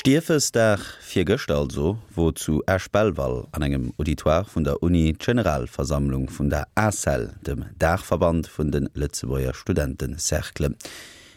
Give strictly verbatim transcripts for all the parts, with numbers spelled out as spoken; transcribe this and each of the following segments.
Stiefesdag, virgëschter also, wor zu Esch-Belval an engem Auditoire vun der Uni d'Generalversammlung vun der ACEL, dem Daachverband vun de Lëtzebuerger Studentecerclen.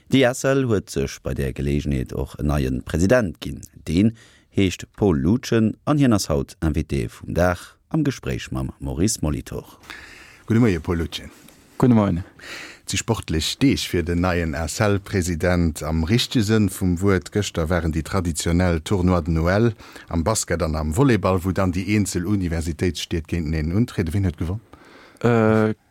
Déi ACEL huet sech bei där Geleegenheet och en neie President ginn. Deen heescht Paul Lutgen an hien ass haut Invité vum Dag am Gespréich mam Maurice Molitor. Gudde Moie Paul Lutgen. Gudde Moien. Et si sportlech Deeg fir den neien ACEL-President am richtege Sënn vum Wuert. Gëschter waren déi traditionell Tournois de Noël am Basket an am Volleyball, wou dann déi eenzel Universitéitsstied géinteneen untrieden. Wien huet gewonn?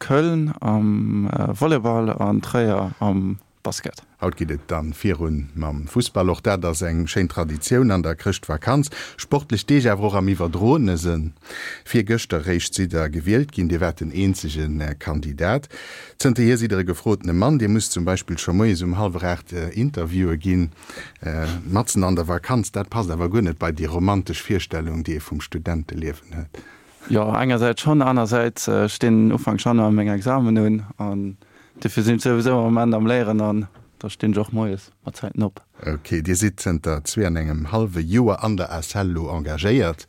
Köln am Volleyball an Tréier am Basket. Haut geet et dann virun mam Fussball. Och dat ass eng schéin Traditioun an der Chrëschtvakanz. Sportlech Deeg awer och am iwwerdroene Sënn. Virgëschter réischt sidd der gewielt ginn. Dir waart den eenzege Kandidat. Zënterhier sidd der e gefrotene Mann. Dir musst zum Beispill scho moies um hallwer aacht Interviewe ginn, matzen an der Vakanz. Dat passt awer guer net bei déi romantesch Virstellung, déi ee vum Studenteliewen huet. Jo, engersäits schonn, anersäits stinn Ufank Januar meng Examen un an dofir sinn ech souwisou am Moment am Léieren an da stinn ech och moies mat Zäiten op. Ok, Dir sidd zënter zwee an engem hallwe Joer an der ACEL elo engagéiert,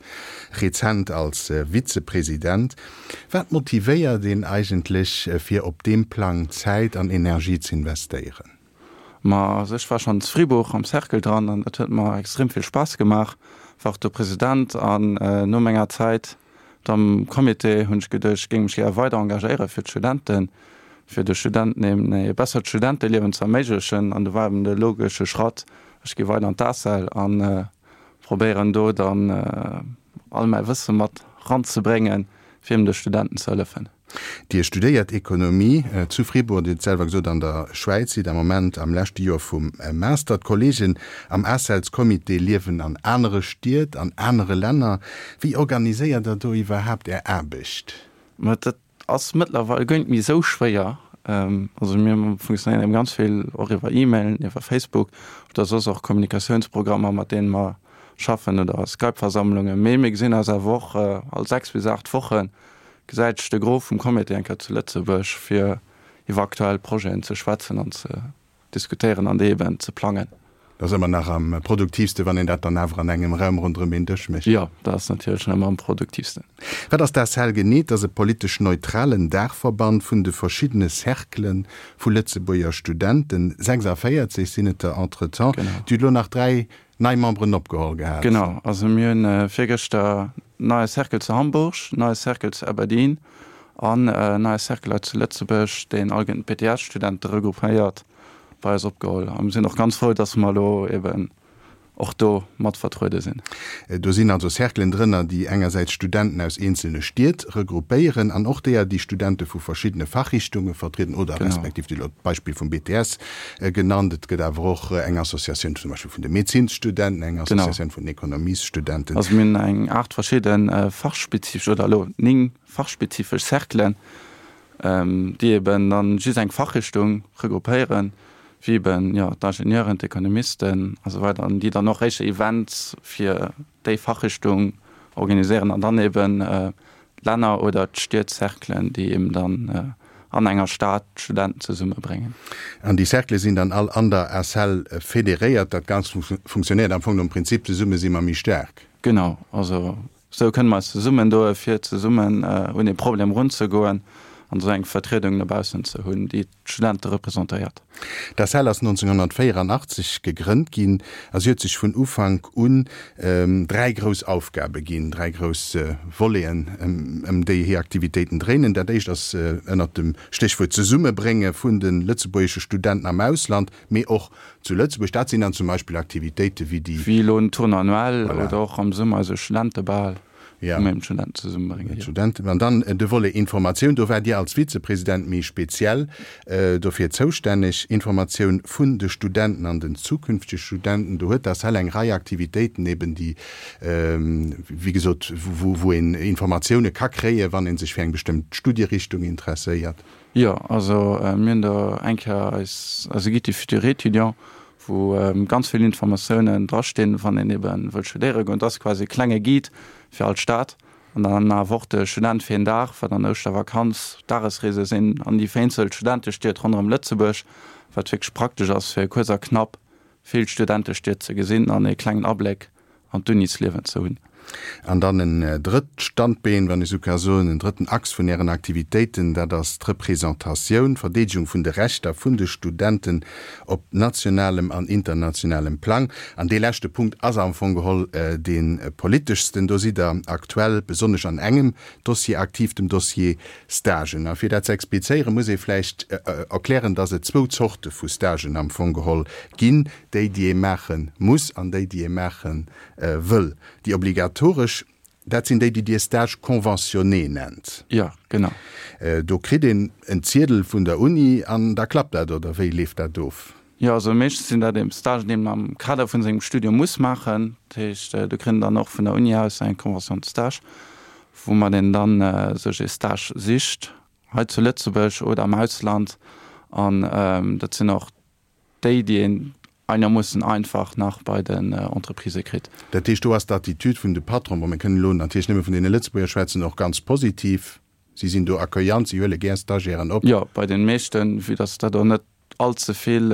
rezent als Vizepresident. Wat motivéiert een eigentlech, fir op deem Plang Zäit an Energie z'investéieren? Ma also ech war schonn zu Fribourg am Cercle dran an dat huet mer extrem vill Spaass gemaach, war och do President an no menger Zäit am Comité hunn ech geduecht, ech géing mech gär weider engagéiere fir d'Studenten, fir de Studenten eben e bessert Studenteliewen ze erméiglechen. An do war eben de logesche Schratt, ech gi weider an d'ACEL a probéieren do dann all mäi Wësse mat ranzebréngen, fir eben de Studenten ze hëllefen. Dir studéiert Ekonomie zu Fribourg, Dir hutt et selwer gesot, an der Schwäiz, sidd am Moment am leschte Joer vum Master. D'Kolleegen am ACELs-Comité liewen an anere Stied, an anere Länner. Wéi organiséiert Der do iwwerhaapt Är Aarbecht? Ma dat ass mëttlerweil guer net méi esou schwéier. Also mir funktionéieren eben ganz vill och iwwer E-Mailen, iwwer Facebook oder soss och Kommunikatiounsprogrammer, mat deene mer schaffen oder Skype-Versammlungen. Mee mir gesinn eis awer och all sechs bis aacht Woche gesäit sech de Gros vum Comité eng Kéier zu Lëtzebuerg, fir iwwer aktuell Projeten ze schwätzen an ze diskutéieren an déi eben ze plangen. Dat ass ëmmer nach am produktiivste, wann een dat dann awer an engem Raum ronderëm een Dësch mécht. Jo, dat ass natierlech nach ëmmer am produktiivsten. Wat ass d'ACEL genee? Et ass e politesch neutralen Daachverband vun de verschiddene Cerclë vu Lëtzebuerger Studenten. sechsavéierzeg sinn et der entretemps. Dir hutt elo nach dräi nei Memberen opgeholl gehat. Genau, also mir hunn virgëschter neie Cercle zu Hamburg, neie Cercle zu Aberdeen an neie Cercle hei zu Lëtzebuerg, deen all d'B T S-Studente regroupéiert, bei eis opgeholl. A mir sinn och ganz frou, dass mer elo eben och do mat vertruede sinn. Do sinn also Cerclen drënner, déi engersäits Studenten aus eenzelne Stied regroupéieren an och deeër, déi Studente vu verschiddene Fachrichtunge vertrieden oder respektiv, Dir hutt elo d'Beispill vum B T S genannt, et gëtt awer och eng Associatioun zum Beispill vun de Medezinsstudenten, eng Associatioun vun den Ekonomiesstudenten. Also mir hunn eng aacht verschidde fachspezifesch oder elo néng fachspezifesch Cerclen, déi eben dann just eng Fachrichtung regroupéieren, wéi eben, jo, d'Ingenieuren, d'Ekonomisten a sou weider, an déi dann och éischter Events fir déi Fachrichtung organiséieren an dann eben d'Länner oder d'Stiedcerclen, déi eben dann an enger Stad d'Studenten zesummebréngen. An déi Cerclë sinn dann all an der ACEL federéiert. Dat Ganzt funktionéiert am Fong nom Prinzip, zesumme si mer méi staark. Genau, also sou kënne mer eis zesummen doe fir zesummen un ee Problem erunzegoen an esou eng Vertriedung no baussen ze hunn, déi d'Studente representéiert. D'ACEL ass nonzénghonnertvéieranachtzeg gegrënnt ginn a si huet sech vun Ufank un dräi grouss Aufgabe ginn, dräi grouss Voleten, ëm déi hir Aktivitéiten dréinen. Dat éischt ass ënnert dem Stéchwuert Zesummebrénge vun de lëtzebuergesche Studenten am Ausland, mee och zu Lëtzebuerg. Dat sinn dann zum Beispill Aktivitéite wéi déi. Wéi elo den Tournoi annuel oder och am Summer eise Studentebal, wou mir eben d'Studenten zesummebréngen. D'Studenten. An dann de Volet Informatioun. Do waart Dir als Vizepresident méi speziell dofir zoustänneg. Informatioun vun de Studenten an den zukünftege Studenten. Do huet d'ACEL eng Rei Aktivitéiten eben, déi, wéi gesot, wou een Informatioune ka kréien, wann ee sech fir eng bestëmmt Studierichtung interesséiert. Jo, also mir hunn do eng Kéier eis, eise Guide du futur étudiant, wou ganz vill Informatiounen drastinn, wann een ebe wëllt studéiere goen. Dat ass quasi e klenge Guide fir all Stad. An dann awer och de Student fir een Dag, wat an der Ouschtervakanz Dagesreese sinn an déi vereenzelt Studentestied ronderëm Lëtzebuerg, wat wierklech praktesch ass, fir kuerz a knapp vill Studentestied ze gesinn an e klengen Abléck an d'Unisliewen ze hunn. An dann en drëtt Standbeen, wann ech esou ka soen, en drëtten Achs vun Ären Aktivitéiten, dat ass d'Representatioun, d'Verdeedegung vun de Rechter vun de Studenten op nationalem an internationalem Plang. An dee leschte Punkt ass am Fong geholl dee politeschsten. Do sidd Der aktuell besonnesch an engem Dossier aktiv, dem Dossier Stagen. A fir dat ze explizéieren, muss ee vläicht erklären, dass et zwou Zorte vu Stagen am Fong geholl ginn, déi, déi ee maache muss an déi, déi ee maache wëll. Déi obligatoresch, dat sinn déi, déi Dir Stages conventionnés nennt. Jo, genau. Do kritt een en Ziedel vun der Uni an da klappt dat, oder wéi leeft dat of? Jo, also meeschtens sinn dat eben Stagen, déi een am Kader vun sengem Studium muss maachen. Dat heescht, do kritt een dann och vun der Uni aus eng Convention de stage, woumat een dann sech ee Stage sicht, hei zu Lëtzebuerg oder am Ausland. An dat sinn och déi, déi een einermoossen einfach nach bei den Entreprisë kritt. Dat heescht, do ass d'Attitude vun de Patronen, bon, mir kënnen elo natierlech nëmme vun deene Lëtzebuerger schwätzen, och ganz positiv. Si sinn do accueillant, si huele gär Stagiairen op. Jo, bei den meeschten, vue dass dat och net all ze vill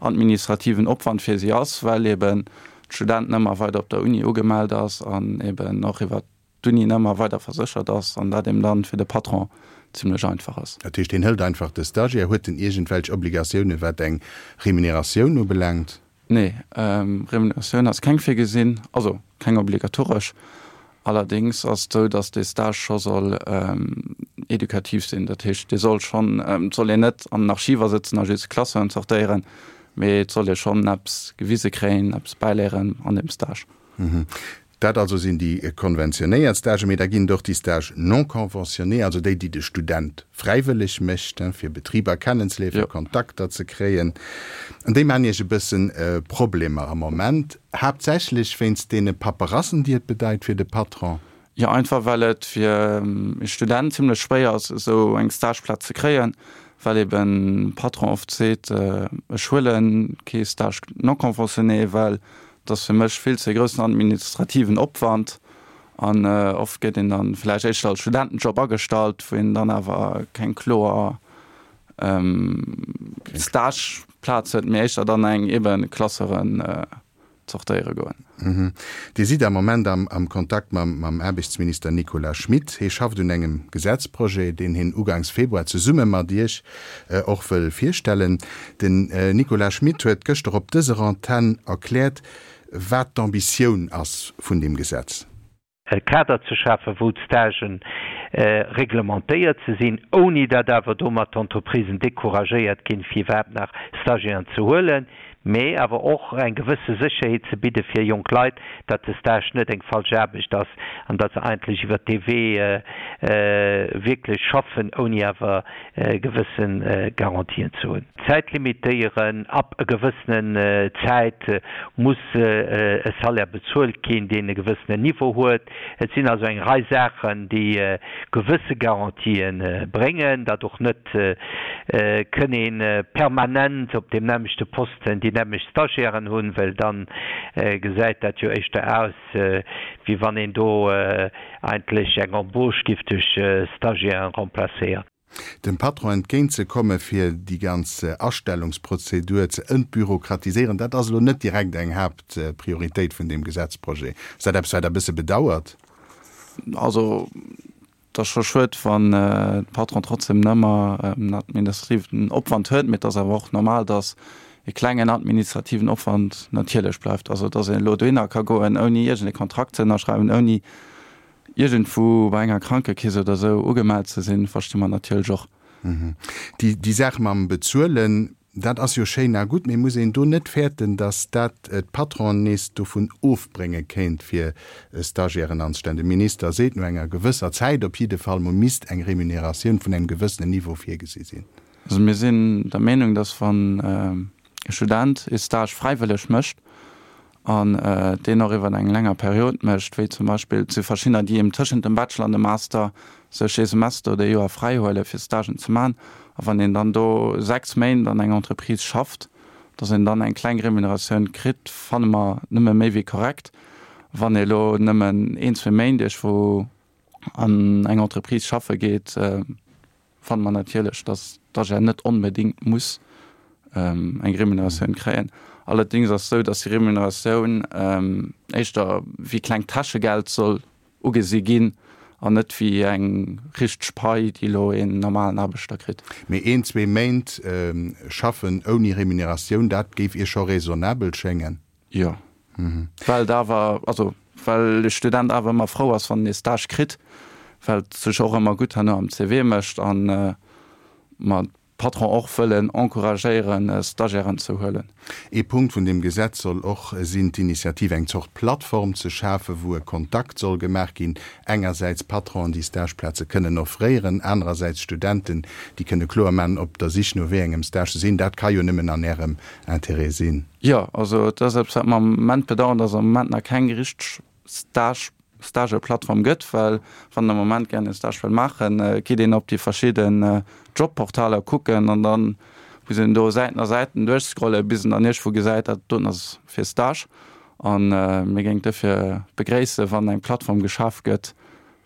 administrativen Opwand fir si ass, well eben d'Studenten ëmmer weider op der Uni ugemellt ass an eben och iwwert d'Uni ëmmer weider verséchert ass an dat eben dann fir de Patron zimlech einfach ass. Dat heescht, hien hëlt einfach de Stagiaire. Huet en iergendwelch Obligatioune wat eng Remuneratioun ubelaangt? Nee, Remuneratioun ass keng virgesinn, also keng obligatoresch. Allerdéngs ass et esou, datt dee Stage scho soll edukativ sinn. Dat heescht, dee soll schonn, et soll een net an den Archiver sëtzen a just Klasseuren zortéieren, mee et soll ee schonn eppes gewise kréien, eppes bäiléieren an deem Stage. Dat also sinn déi konventionéiert Stagen, mee da ginn et och déi Stages non conventionnés, also déi, déi de Student fräiwëlleg mécht, fir Betriber kennenzeléieren, fir Kontakter ze kréien. An déi maachen Iech e bëssen Problemer am Moment, haaptsächlech wéinst deene Paperassen, déi et bedeit fir de Patron. Jo, einfach well et fir e Student zimlech schwéier ass, esou eng Stageplaz ze kréien, well eben Patron oft seet, ech huele kee Stage non conventionné, well Et ass fir mech vill ze groussen administrativen Opwand an oft gëtt een dann vläicht éischter als Studentenjob agestallt, wou een dann awer keng kloer Stageplaz huet, mee éischter dann eng eben Klasseren zortéiere goen. Dir sidd am Moment am Kontakt mam Aarbechtsminister Nicolas Schmit. Hie schafft un engem Gesetzprojet, deen hien ugangs Februar zesumme mat Iech och wëll virstellen. Den Nicolas Schmit huet gëschter op dëser Antenn erkläert, wat d'Ambitioun ass vun deem Gesetz. E Kader ze schafen, wou d'Stagen reglementéiert ze sinn, ouni datt awer domat d'Entreprisen decouragéiert ginn, fir iwwerhaapt nach Stagiairen ze huelen, mee awer och eng gewësse Sécherheet ze bidde fir jonk Leit, datt de Stage net eng falsch Aarbecht ass an datt se eigentlech iwwert dee Wee wierklech schaffen, ouni awer gewësse Garantien ze hunn. Zäit limitéieren, ab e gewëssenen Zäit muss e Salaire bezuelt ginn, deen e gewëssenen Niveau huet. Et sinn also eng Rei Saachen, déi gewësse Garantië bréngen, datt och net kënn ee permanent op deem nämmlechte Posten déi nämmlecht Stagiairen hunn, well da gesäit dat jo éischter aus, wéi wann een do eigentlech eng Embauche giff duerch Stagiairen remplacéieren. Dem Patron entgéint ze komme fir déi ganz Astellungsprozedur ze entbürokratiséieren, dat ass elo net direkt eng Haaptprioritéit vun deem Gesetzprojet. Ass dat eppes, wat Der e bësse bedauert? Also, et ass scho schued, wann de Patron trotzdem nëmmer en administrativen Opwand huet, mee et ass awer och normal, datt e klengen administrativen Opwand natierlech bleift. Also, datt een elo dohinner ka goen, ouni iergend e Kontrakt ze ënnerschreiwen, ouni iergendwou bei enger Krankekeess oder esou ugemellt ze sinn, versti mer natierlech och. Déi Saach mam Bezuelen, dat ass jo schéin a gutt, mee muss een do net fäerten, datt dat d'Patronen nees dovun ofbrénge kéint, fir Stagiairen anzestellen? De Minister seet, no enger gewësser Zäit op jidde Fall mol misst eng Remuneratioun vun engem gewëssenen Niveau virgesi sinn. Also mir sinn der Meenung, datt wann e Student ee Stage fräiwëlleg mécht, an deen och iwwer eng länger Period mécht, wéi zum Beispill, et si verschiddener, déi eben tëschent dem Bachelor an dem Master sech ee Semester oder ee Joer fräi huele fir Stagen ze maachen, a wann een dann do sechs Méint an enger Entreprise schafft, datt een dann eng kleng Remuneratioun kritt, fanne mer nëmme méi wéi korrekt. Wann ee elo nëmmen een, zwee Méint iergendwou an eng Entreprise schaffe geet, fanne mer natierlech, datt d'Stagiaire net onbedéngt muss eng Remuneratioun kréien. Allerdéngs ass et sou, dass déi Remuneratioun éischter wéi klengt Täschegeld soll ugesi ginn an net wéi eng richteg Pai, déi elo een normalen Aarbechter kritt. Mee een, zwee Méint schaffen ouni Remuneratioun, dat géif Iech scho raisonnabel schéngen? Jo. Well et awer, also well de Student awer ëmmer frou ass, wann en ee Stage kritt, well et sech och ëmmer gutt herno am C V mécht an mer d'Patron och wëllen encouragéieren, Stagiairen ze huelen. Ee Punkt vun deem Gesetz soll och sinn, d'Initiativ, eng Zort Plattform ze schafen, wou e Kontakt soll gemaach ginn, engersäits Patronen, déi Stageplaze kënnen offréieren, anerersäits Studenten, déi kënne kloer maachen, op der Sich no wéi engem Stage se sinn. Dat ka jo nëmmen an Ärem Interêt sinn. Jo, also et ass eppes, wat mer am Moment bedauern, dass am Moment nach keng richteg Stage, Stageplattform gëtt, well wann een am Moment gären e Stage wëll maachen, geet een op déi verschidden Jobportaler kucken an dann muss een do Säiten a Säiten duerchscrollen, bis en dann iergendwou gesäit, dat doten ass fir Stage. A mir géingen duerfir begréissen, wann eng Plattform geschaf gëtt,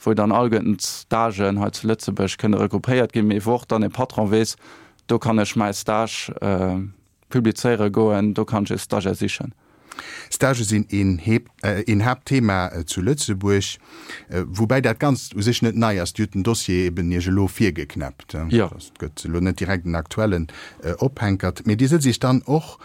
wou dann alleguerten d'Stagen hei zu Lëtzebuerg kënne regroupéiert ginn, mee wou och dann e Patron weess, do kann ech mäi Stage publizéiere goen, do kann ech e Stagiaire sichen. Stagë sinn een Haaptthema zu Lëtzebuerg, woubäi dat Ganzt u sech net nei ass. Dir hutt den Dossier eben Iech elo virgeknäppt. Et gëtt elo net direkt en aktuellen Ophänkert. Mee Dir sëtzt Iech dann och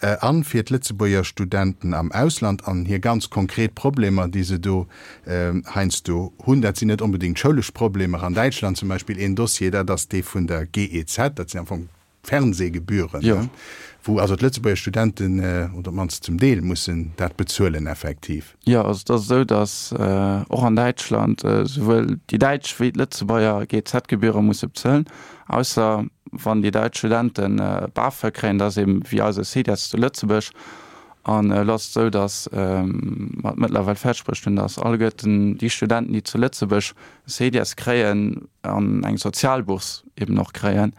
an fir d'Lëtzebuerger Studenten am Ausland an hir ganz konkret Problemer, déi se do heiansdo hunn. Dat sinn net onbedéngt schoulesch Problemer. An Däitschland zum Beispill een Dossier, dat ass dee vun der G E Z, dat sinn am Fong Fernsehgebühren, Jo. wou also d'Lëtzebuerger Studenten, oder op d'mannst zum Deel, mussen dat bezuelen effektiv. Jo, also et ass esou, datt och an Däitschland souwuel déi däitsch wéi d'Lëtzebuerger G E Z-Gebühre musse bezuelen, ausser wann déi däitsch Studente BAföG kréien, dat ass eben wéi eise CEDIES zu Lëtzebuerg. An elo ass et esou, datt mer et mëttlerweil fäerdeg bruecht hunn, datt alleguerten déi Studenten, déi zu Lëtzebuerg CEDIES kréien an eng Sozialbourse eben och kréien,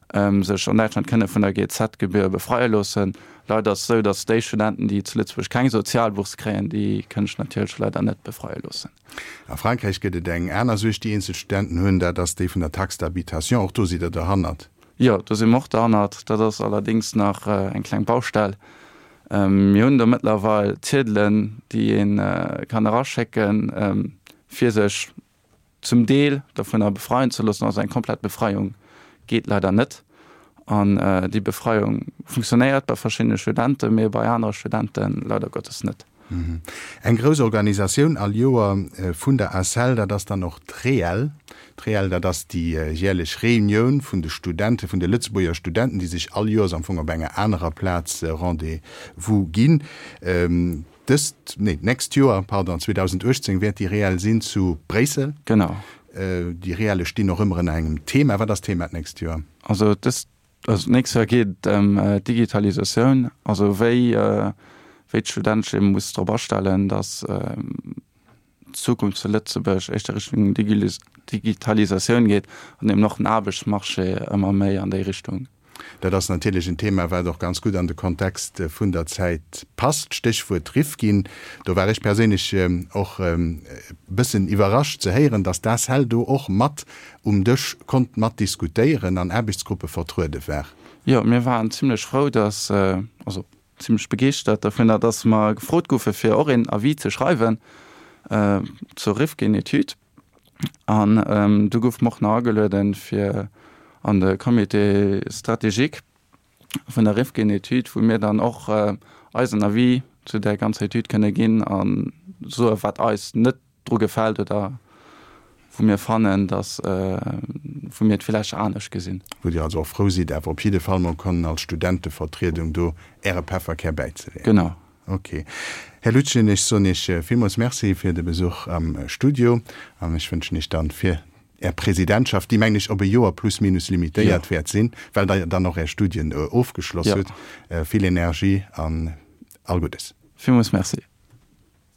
sech an Däitschland kënne vun der G E Z-Gebühr befreie loossen. Leider ass et esou, datt déi Studenten, déi zu Lëtzebuerg keng Sozialbourse kréien, déi kënne sech natierlech leider net befreie loossen. A Frankräich gëtt et eng aner Suerg, déi eenzel Studenten hunn, dat ass déi vun der Taxe d'habitation. Och do sidd Der derhannert? Jo, do si mer och derhannert. Dat ass allerdéngs nach eng kleng Baustell. Mir hunn do mëttlerweil Ziedelen, déi ee kann eraschécken, fir sech zum Deel dovunner befreien ze loossen. Also eng komplett Befreiung geet leider net. An déi Befreiung funktionéiert bei verschiddene Studenten, mee bei anere Studente leider Gottes net. Eng grouss Organisatioun all Joer vun der ACEL, dat ass dann och d'REEL. D'REEL, dat ass déi jäerlech Reunioun vun de Studenten, vun de Lëtzebuerger Studenten, déi sech all Joers am Fong op enger anerer Plaz Rendez-vous ginn. Dëst, nee, d'nächst Joer, pardon, zweedausendachtzéng wäert déi REEL sinn zu Bréissel. Genau. Déi REELe stinn och ëmmer ënner engem Thema. Wat ass d'Thema d'nächst Joer? Also dëst, also d'nächst Joer geet et ëm d'Digitalisatioun, also wéi, wéi d'Student sech eben muss drop astellen, datt d'Zukunft zu Lëtzebuerg éischter Richtung Digitalisatioun geet an eben och den Aarbechtsmarché ëmmer méi an déi Richtung. Dat ass natierlech en Thema, wat och ganz gutt an de Kontext vun der Zäit passt. Stéchwuert Rifkin. Do war ech perséinlech och e bëssen iwwerrascht ze héieren, dass d'ACEL do och mat um Dësch konnt mat diskutéieren, an Aarbechtsgruppe vertruede war. Jo, mir waren zimlech frou, dass, also zimlech begeeschtert dovunner, dass mer gefrot goufe fir och een Avis ze schreiwen zur Rifkin-Etüd. An du goufe mer och nach agelueden, fir an de Comité stratégique vun der Rifkin-Etüd, wou mir dann och eisen Avis zu där ganzer Etüd kënne ginn a soe wat eis net dru gefält oder wou mir fannen, dass, wou mir et villäicht anescht gesinn. Wou Dir also och frou sidd, awer op jidde Fall mol konnen als Studentevertriedung do Äre Pefferkär bäizeleeën. Genau. Ok. Här Lutgen, ech soen Iech villmools Merci fir de Besuch am Studio an ech wënschen Iech dann fir Är Presidentschaft, déi mengen ech op e Joer plus minus limitéiert wäert sinn, well Der dann och Är Studien ofgeschloss hutt, vill Energie an all Guddes. Villmools Merci.